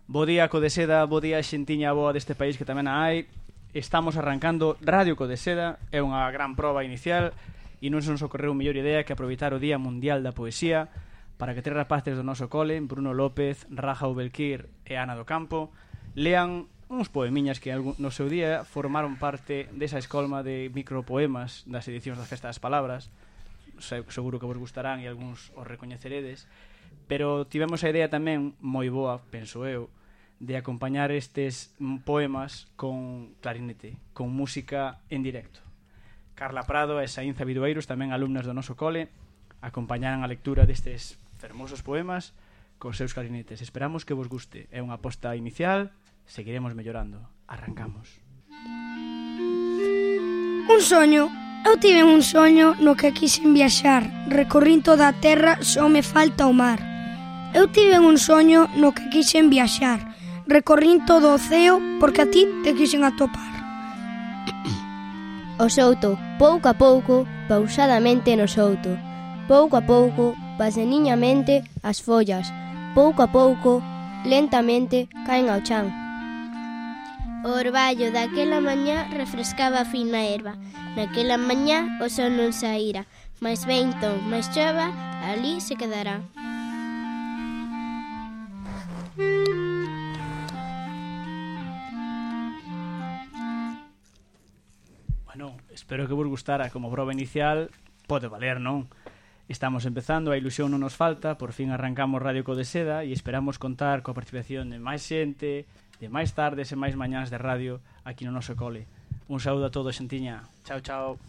Bo día, Codeseda, bo día, xentiña boa deste país que tamén a hai. Estamos arrancando Radio Codeseda, é unha gran proba inicial e non se nos ocorreu mellor idea que aproveitar o Día Mundial da Poesía para que tres rapaces do noso cole, Bruno López, Raja Ubelquir e Ana do Campo, lean uns poemiñas que no seu día formaron parte desa escolma de micropoemas das edicións da Festa das Palabras. Seguro que vos gustarán e algúns os recoñeceredes, pero tivemos a idea tamén moi boa, penso eu, de acompañar estes poemas con clarinete, con música en directo. Carla Prado e Saínza Bidueiros, tamén alumnas do noso cole, acompañaran a lectura destes fermosos poemas con seus clarinetes. Esperamos que vos guste. É unha aposta inicial, seguiremos mellorando. Arrancamos. Un soño. Eu tive un soño no que quixen viaxar. Recorrín toda a terra, só me falta o mar. Eu tive un soño no que quixen viaxar. Recorrín todo o ceo porque a ti te quixen atopar. O souto, pouco a pouco, pausadamente no souto. Pouco a pouco, paseniñamente as follas. Pouco a pouco, lentamente, caen ao chan. O orballo daquela mañá refrescaba a fina erva. Naquela mañá o sol non saíra, máis vento, máis chova, ali se quedará. Bueno, espero que vos gustara. Como proba inicial, pode valer, non? Estamos empezando, a ilusión non nos falta. Por fin arrancamos Radio Codeseda e esperamos contar coa participación de máis xente, de máis tardes e máis mañás de radio aquí no noso cole. Un saúdo a todos, xentiña. Chao, chao.